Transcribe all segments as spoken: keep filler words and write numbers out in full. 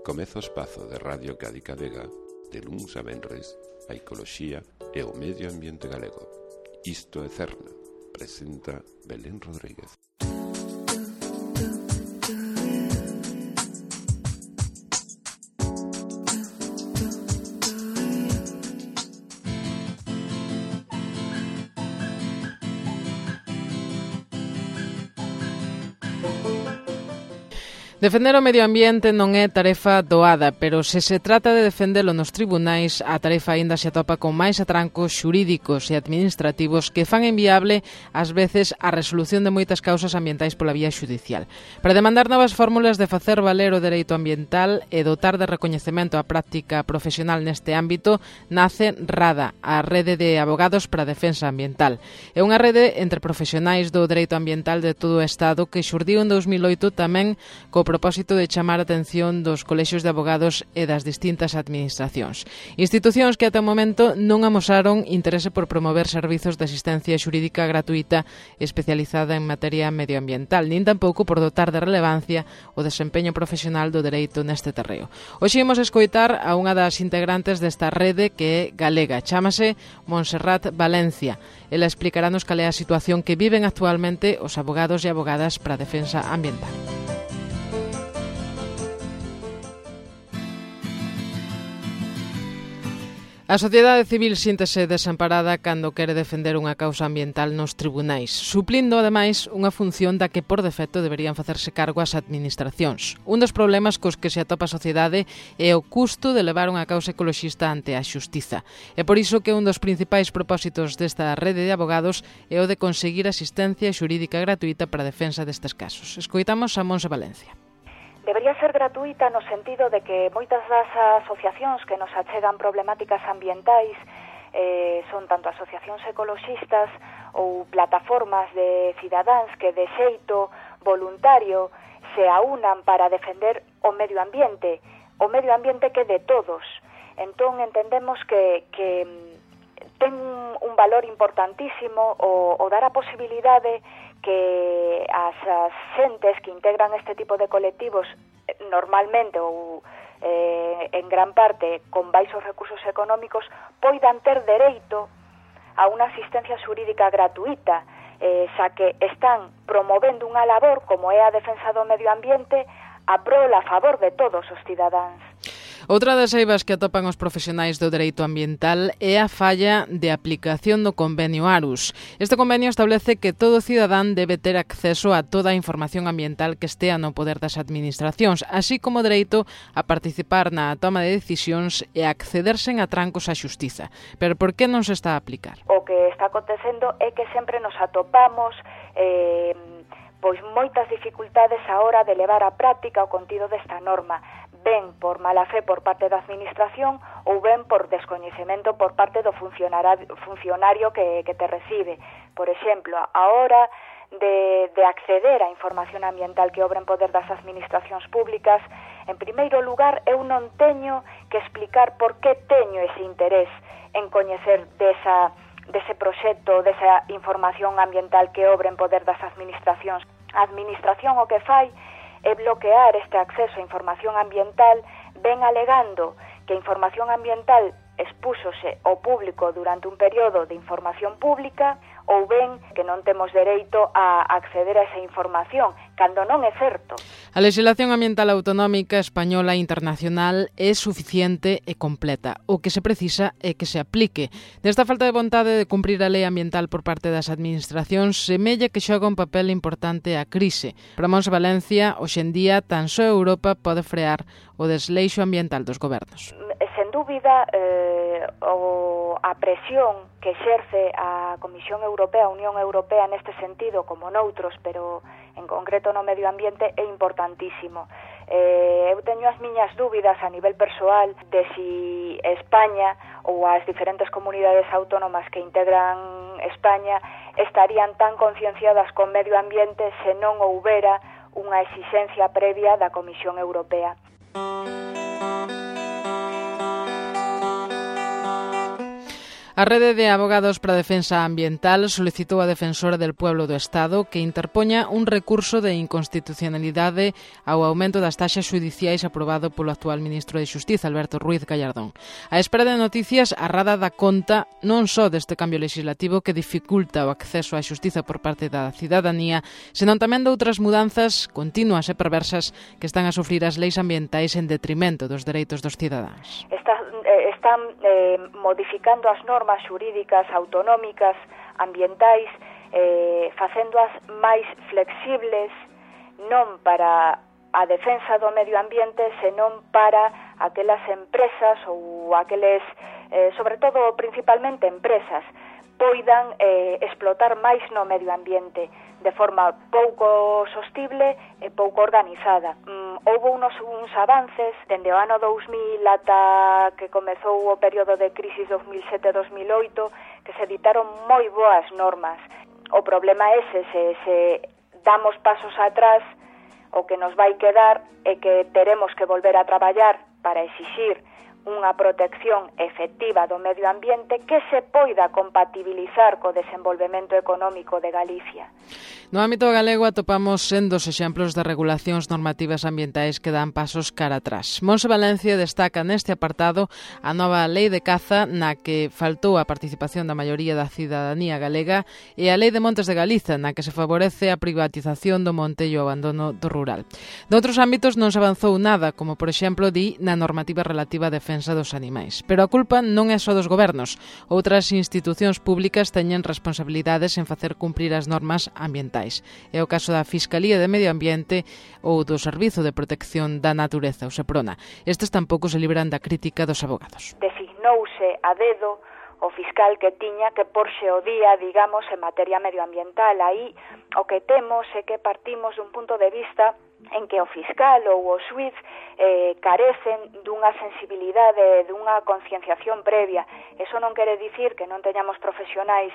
Comeza o espazo de Radio Cádiz Vega de luns a venres a ecoloxía e o medio ambiente galego. Isto é Cerna, presenta Belén Rodríguez. Defender o medio ambiente non é tarefa doada, pero se se trata de defendelo nos tribunais, a tarefa aínda se atopa con máis atrancos xurídicos e administrativos que fan inviable, ás veces, a resolución de moitas causas ambientais pola vía xudicial. Para demandar novas fórmulas de facer valer o dereito ambiental e dotar de recoñecemento a práctica profesional neste ámbito, nace RADA, a Rede de Abogados para a Defensa Ambiental. É unha rede entre profesionais do dereito ambiental de todo o Estado que xurdiu en dous mil oito tamén co propósito de chamar a atención dos colexios de abogados e das distintas administracións. Institucións que ata o momento non amosaron interese por promover servizos de asistencia xurídica gratuita especializada en materia medioambiental, nin tampouco por dotar de relevancia o desempeño profesional do dereito neste terreo. Hoxe imos escoitar a unha das integrantes desta rede que é galega, chámase Montserrat Valencia. Ela explicarános cal é a situación que viven actualmente os abogados e abogadas para a defensa ambiental. A sociedade civil síntese desamparada cando quere defender unha causa ambiental nos tribunais, suplindo, ademais, unha función da que por defecto deberían facerse cargo as administracións. Un dos problemas cos que se atopa a sociedade é o custo de levar unha causa ecoloxista ante a xustiza. É por iso que un dos principais propósitos desta rede de abogados é o de conseguir asistencia xurídica gratuita para a defensa destes casos. Escoitamos a Monse Valencia. Debería ser gratuita no sentido de que moitas das asociacións que nos achegan problemáticas ambientais eh, son tanto asociacións ecoloxistas ou plataformas de cidadáns que de xeito voluntario se aúnan para defender o medio ambiente, o medio ambiente que é de todos. Entón entendemos que, que ten un valor importantísimo o, o dar a posibilidade que as, as xentes que integran este tipo de colectivos normalmente ou eh, en gran parte con baixos recursos económicos poidan ter dereito a unha asistencia xurídica gratuita, eh, xa que están promovendo unha labor como é a defensa do medio ambiente a prol a favor de todos os cidadáns. Outra das eivas que atopan os profesionais do dereito ambiental é a falla de aplicación do convenio Arus. Este convenio establece que todo cidadán debe ter acceso a toda a información ambiental que estea no poder das administracións, así como dereito a participar na toma de decisións e a accederse en atrancos á xustiza. Pero por que non se está a aplicar? O que está acontecendo é que sempre nos atopamos eh, pois moitas dificultades a hora de levar á práctica o contido desta norma, ben por mala fe por parte da administración ou ben por descoñecemento por parte do funcionario que, que te recibe. Por exemplo, a hora de, de acceder á información ambiental que obra en poder das administracións públicas, en primeiro lugar, eu non teño que explicar por que teño ese interés en coñecer desa dese proxecto, desa información ambiental que obra en poder das administracións. A administración o que fai é bloquear este acceso a información ambiental, ben alegando que a información ambiental expúxose ao público durante un período de información pública ou ben que non temos dereito a acceder a esa información, cando non é certo. A legislación ambiental autonómica española e internacional é suficiente e completa. O que se precisa é que se aplique. Desta falta de vontade de cumprir a lei ambiental por parte das administracións, semella que xoga un papel importante a crise. Para Monse Valencia, hoxe en día, tan só Europa pode frear o desleixo ambiental dos gobernos. Sen dúbida, eh, o, a presión que exerce a Comisión Europea, a Unión Europea neste sentido, como noutros, pero en concreto no medio ambiente, é importantísimo. Eh, eu teño as miñas dúbidas a nivel persoal de si España ou as diferentes comunidades autónomas que integran España estarían tan concienciadas con medio ambiente se non houbera unha exixencia previa da Comisión Europea. A Rede de Abogados para a Defensa Ambiental solicitou a Defensora del Pueblo do Estado que interpoña un recurso de inconstitucionalidade ao aumento das taxas xudiciais aprobado polo actual ministro de Xustiza, Alberto Ruiz Gallardón. A espera de noticias, a Rada dá conta non só deste cambio legislativo que dificulta o acceso á xustiza por parte da cidadanía, senón tamén de outras mudanzas continuas e perversas que están a sufrir as leis ambientais en detrimento dos dereitos dos cidadáns. Está, eh, están eh, modificando as normas xurídicas autonómicas ambientais, eh, facéndoas máis flexibles non para a defensa do medio ambiente, senón para aquelas empresas ou aqueles, eh, sobre todo principalmente empresas, poidan eh, explotar máis no medio ambiente de forma pouco sostible e pouco organizada. Mm, houve unos, uns avances dende o ano dous mil ata que comezou o período de crisis dos mil sete a dos mil oito, que se editaron moi boas normas. O problema é se, se, se damos pasos atrás, o que nos vai quedar é que teremos que volver a traballar para exixir unha protección efectiva do medio ambiente que se poida compatibilizar co desenvolvemento económico de Galicia. No ámbito galego atopamos sendos exemplos de regulacións normativas ambientais que dan pasos cara atrás. Monse Valencia destaca neste apartado a nova lei de caza na que faltou a participación da maioría da cidadanía galega e a lei de Montes de Galiza na que se favorece a privatización do monte e o abandono do rural. Noutros ámbitos non se avanzou nada, como por exemplo di na normativa relativa á defensa dos animais. Pero a culpa non é só dos gobernos. Outras institucións públicas teñen responsabilidades en facer cumprir as normas ambientais. É o caso da Fiscalía de Medio Ambiente ou do Servizo de Protección da Natureza, o SEPRONA. Estes tampouco se libran da crítica dos abogados. Designouse a dedo o fiscal que tiña que porse o día, digamos, en materia medioambiental. Aí o que temos é que partimos dun punto de vista en que o fiscal ou o xuiz eh, carecen dunha sensibilidade, dunha concienciación previa. Eso non quere dicir que non teñamos profesionais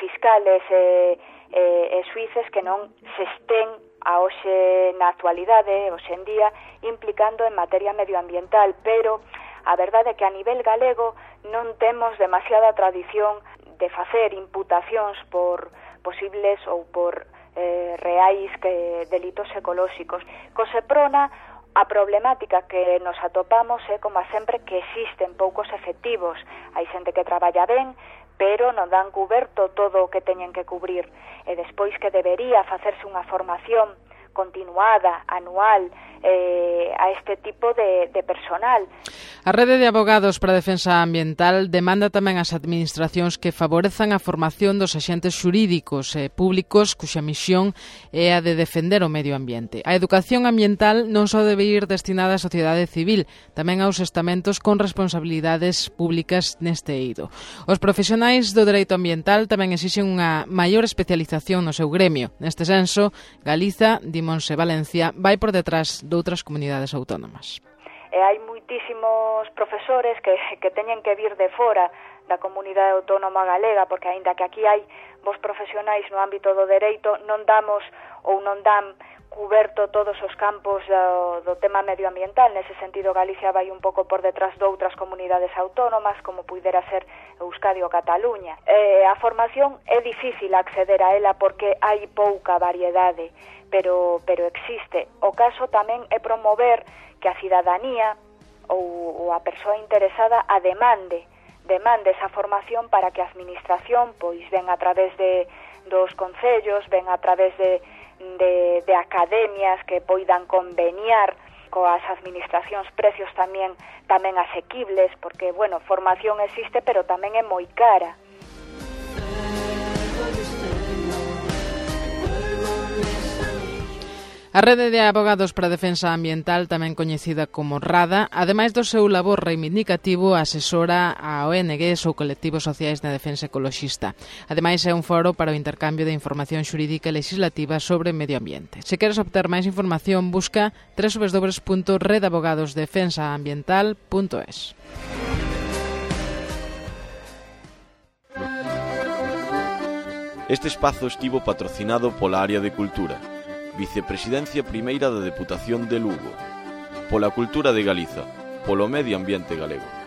fiscales e, e, e xuices que non se estén a hoxe na actualidade, hoxe en día, implicando en materia medioambiental, pero a verdade é que a nivel galego non temos demasiada tradición de facer imputacións por posibles ou por eh, reais que delitos ecolóxicos. Co SEPRONA, a problemática que nos atopamos é, como sempre, que existen poucos efectivos. Hai xente que traballa ben, pero non dan cuberto todo o que teñen que cubrir. E despois que debería facerse unha formación continuada, anual, eh, a este tipo de, de personal. A Rede de Abogados para a Defensa Ambiental demanda tamén ás administracións que favorezan a formación dos axentes xurídicos e públicos cuxa misión é a de defender o medio ambiente. A educación ambiental non só debe ir destinada á sociedade civil, tamén aos estamentos con responsabilidades públicas neste eido. Os profesionais do dereito ambiental tamén exixen unha maior especialización no seu gremio. Neste senso, Galiza, di Monse Valencia, vai por detrás de outras comunidades autónomas. E hai moitísimos profesores que, que teñen que vir de fora da comunidade autónoma galega, porque aínda que aquí hai vos profesionais no ámbito do dereito, non damos ou non dan cuberto todos os campos do, do tema medioambiental. Nese sentido, Galicia vai un pouco por detrás de outras comunidades autónomas, como puidera ser Euskadi ou Cataluña. Eh, a formación é difícil acceder a ela porque hai pouca variedade, pero, pero existe. O caso tamén é promover que a cidadanía ou, ou a persoa interesada a demande, demande esa formación para que a administración pois ven a través de dos concellos, ven a través de De, de academias que poidan conveniar coas administracións precios tamén tamén asequibles, porque, bueno, formación existe, pero tamén é moi cara. A Rede de Abogados para a Defensa Ambiental, tamén coñecida como RADA, ademais do seu labor reivindicativo, asesora a O N Gs ou colectivos sociais na defensa ecoloxista. Ademais, é un foro para o intercambio de información xurídica e legislativa sobre medio ambiente. Se queres obter máis información, busca doble u doble u doble u punto rede abogados defensa ambiental punto es. Este espazo estivo patrocinado pola Área de Cultura, Vicepresidencia Primeira da Deputación de Lugo, pola Cultura de Galiza, polo Medio Ambiente Galego.